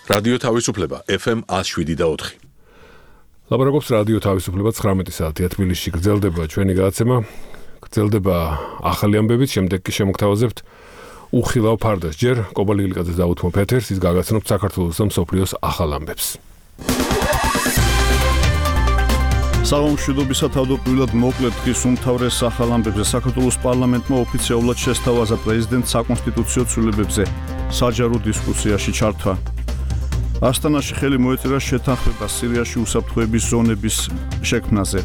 რადიო თავისუფლება FM 107.4. ლაპარაკობს რადიო თავისუფლება 19 საათია თბილისში გრძელდება ჩვენი გადაცემა. გრძელდება ახალი ამბებით, შემდეგ კი შემოგთავაზებთ უხილავ ფარდას. ჯერ კობალიგლიკაძე დაუთმობ ეთერს, ის გაგაცნობს საქართველოს და მსოფლიოს ახალ ამბებს. სამშვიდობისა თავდაპირველად მოკლედ დღის უმთავრეს ახალ ამბებზე საქართველოს პარლამენტმა ოფიციალურად შესთავაზა პრეზიდენტს საკონსტიტუციო ცვლილებებზე საჯარო დისკუსიაში ჩართვა. ასტანაში ხელი მოეწერა შეთანხმება სირიაში უსაფრთხოების ზონების შექმნაზე.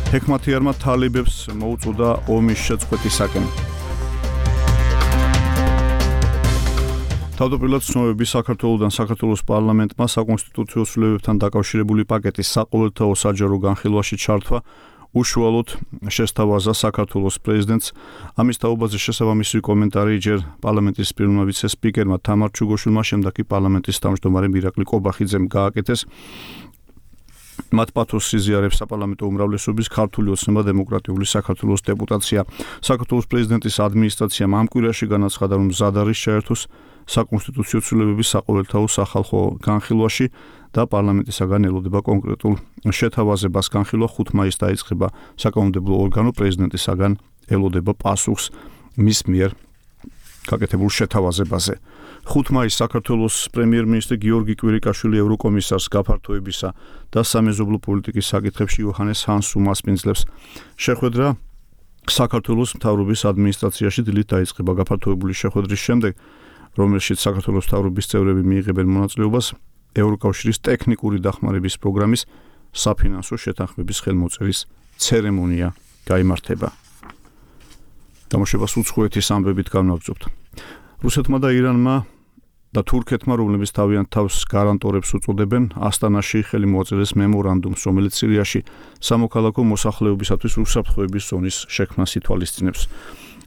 ჰექმათიარმა თალიბებს მოუწოდა ომის შეწყვეტისაკენ. თავდაპირველად ცნობები საქართველოსთან საქართველოს პარლამენტმა საკონსტიტუციო ცვლილებებთან დაკავშირებული პაკეტის საყოველთაო საჯარო განხილვაში ჩართვა უშუალოდ შესთავაზა საქართველოს პრეზიდენტს. ამის თაობაზე შესაბამისი კომენტარი ჯერ პარლამენტის პირველმა ვიცე-სპიკერმა თამარ ჩუგოშვილმა, შემდეგ კი პარლამენტის თავმჯდომარემ ირაკლი კობახიძემ გააკეთეს. მათ პათოსს იზიარებს საპარლამენტო უმრავლესობის ქართული ოცნება დემოკრატიული საქართველოს დეპუტაცია. საქართველოს პრეზიდენტის ადმინისტრაციამ ამ კვირაში განაცხადა, რომ მზად არის ჩაერთოს საკონსტიტუციო ცვლილებების საყოველთაო სახალხო განხილვაში და პარლამენტისაგან ელოდება კონკრეტულ შეთავაზებას. განხილვა 5 მაისს დაიწყება. საკანონმდებლო ორგანო პრეზიდენტისაგან ელოდება პასუხს მის მიერ გაკეთებულ შეთავაზებაზე. 5 მაისს საქართველოს პრემიერ-მინისტრი გიორგი კვირიკაშვილი ევროკომისარს გაფართოებისა და სამეზობლო პოლიტიკის საკითხებში იოჰანეს ჰანს უმასპინძლებს. შეხვედრა საქართველოს მთავრობის ადმინისტრაციაში დილით დაიწყება. გაფართოებული შეხვედრის შემდეგ, რომელშიც საქართველოს მთავრობის წევრები მიიღებენ მონაწილეობას, ევროკავშირის ტექნიკური დახმარების პროგრამის საფინანსო შეთანხმების ხელმოწერის ცერემონია გაიმართება. გამოშვებას უცხოეთის ამბებით განვაგრძობთ. რუსეთმა და ირანმა და თურქეთმა, რომლებიც თავიანთ თავს გარანტორებს უწოდებენ, ასტანაში ხელი მოაწერეს მემორანდუმს, რომელიც სირიაში სამოქალაქო მოსახლეობისათვის უსაფრთხოების ზონის შექმნას ითვალისწინებს.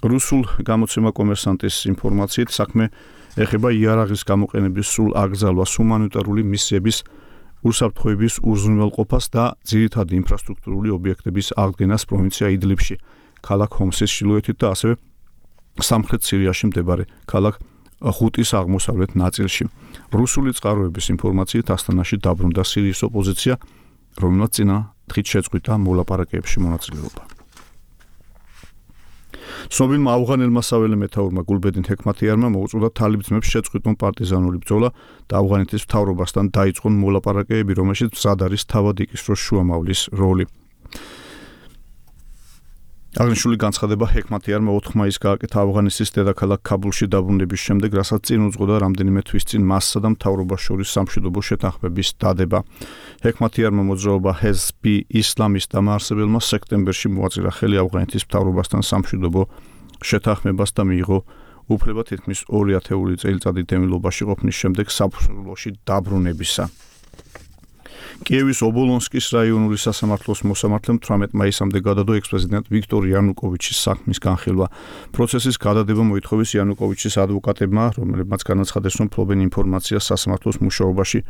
რუსულ გამოცემა კომერსანტის ინფორმაციით საქმე ეხება იარაღის გამოყენების სრულ აკრძალვას, ჰუმანიტარული მისიების უსაფრთხოების უზრუნველყოფას და ძირითადი ინფრასტრუქტურული ობიექტების აღდგენას პროვინცია იდლიბში, ქალაქ ჰომსის ჩრდილოეთით და ასევე სამხრეთ სირიაში მდებარე ქალაქ ხუტის აღმოსავლეთ ნაწილში. რუსული წყაროების ინფორმაციით ასტანაში დაბრუნდა სირიის ოპოზიცია, რომელმაც წინა დღით შეწყვიტა მოლაპარაკებებში მონაწილეობა. ცნობილმა ავღანელმა საველე მეთაურმა გულბედინ ჰექმათიარმა მოუწოდა თალიბ ძმებს შეწყვიტონ პარტიზანული ბრძოლა და ავღანეთის მთავრობასთან დაიწყონ მოლაპარაკებები, რომელშიც მზად არის თავად იკისროს შუამავლის როლი. აღნიშნული განცხადება ჰექმათიარმა 4 მაისს გააკეთა ავღანეთის დედაქალაქ ქაბულში დაბრუნების შემდეგ, რასაც წინ უძღოდა რამდენიმე თვის წინ მასსა და მთავრობას შორის სამშვიდობო შეთანხმების დადება. ჰექმათიარმა მოძრაობა ჰეზბი ისლამის დამაარსებელმა სექტემბერში მოაწირა ხელი ავღანეთის მთავრობასთან სამშვიდობო შეთანხმებას და მიიღო უფლება თითქმის 2 ათეული წელიწადი დევნილობაში ყოფნის შემდეგ საფუძვლოში დაბრუნებისა. კიევის ობოლონსკის რაიონული სასამართლოს მოსამართლემ 18 მაისამდე გადადო ექს-პრეზიდენტ ვიქტორ იანუკოვიჩის საქმის განხილვა. პროცესის გადადება მოითხოვეს იანუკოვიჩის ადვოკატებმა, რომლებმაც განაცხადეს, რომ ფლობენ ინფორმაციას სასამართლოს მუშაობაში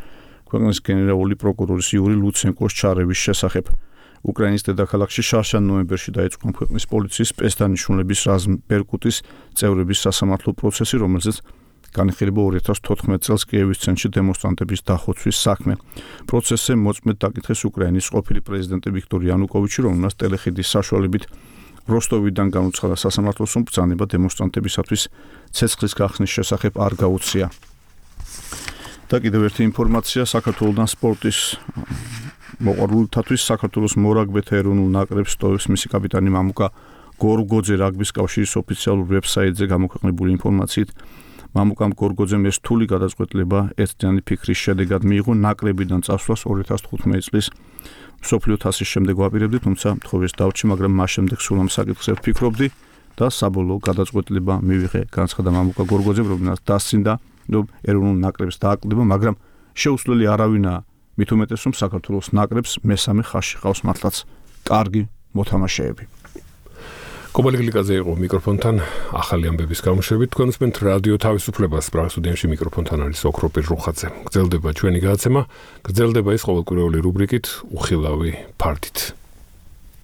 ქვეყნის გენერალური პროკურორის იური ლუცენკოს ჩარევის შესახებ. უკრაინის დედაქალაქში შარშან ნოემბერში დაიწყო ქვეყნის პოლიციის სპეცდანიშნულების რაზმ ბერკუტის წევრების სასამართლო პროცესი, რომელზეც განიხილება 2014 წელს კიევის ცენტრში დემონსტრანტების დახოცვის საქმე. პროცესზე მოწმედ დაკითხეს უკრაინის ყოფილი პრეზიდენტი ვიქტორ იანუკოვიჩი, რომელმაც ტელეხიდის საშუალებით როსტოვიდან განუცხადა სასამართლოს, რომ ბრძანება დემონსტრანტებისათვის ცეცხლის გახსნის შესახებ არ გაუწია. და კიდევ ერთი ინფორმაცია საქართველოსთან სპორტის მოყვარულთათვის საქართველოს მორაგბეთა ეროვნულ ნაკრებს სტოვებს მისი კაპიტანი მამუკა გორგოძე რაგბის კავშირის ოფიციალურ ვებსაიტზე გამოქვეყნებული ინფორმაციით, მამუკამ გორგოძემ ეს რთული გადაწყვეტილება ერთდღიანი ფიქრის შედეგად მიიღო. ნაკრებიდან წასვლას 2015 წლის მსოფლიო თასის შემდეგ ვაპირებდი, თუმცა მთხოვეს დავჭი, მაგრამ მას შემდეგ სულ ამ საკითხზე ვფიქრობდი და საბოლოო გადაწყვეტილება მივიღე, განცხადა მამუკა გორგოძემ, რომელსაც დასცინდა, რომ ეროვნულ ნაკრებს დააკლდება, მაგრამ შეუცვლელი არავინაა, მით უმეტეს, რომ საქართველოს ნაკრებს მესამე ხაზში ყავს მართლაც კარგი მოთამაშეები. კობალიგლიკაძე იყო მიკროფონთან ახალი ამბების გამოშვებით. თქვენ უსმენთ რადიო თავისუფლებას, სტუდიაში მიკროფონთან არის ოქროპირ რუხაძე. გრძელდება ჩვენი გადაცემა, გრძელდება ის ყოველკვირეული რუბრიკით უხილავი ფარდით.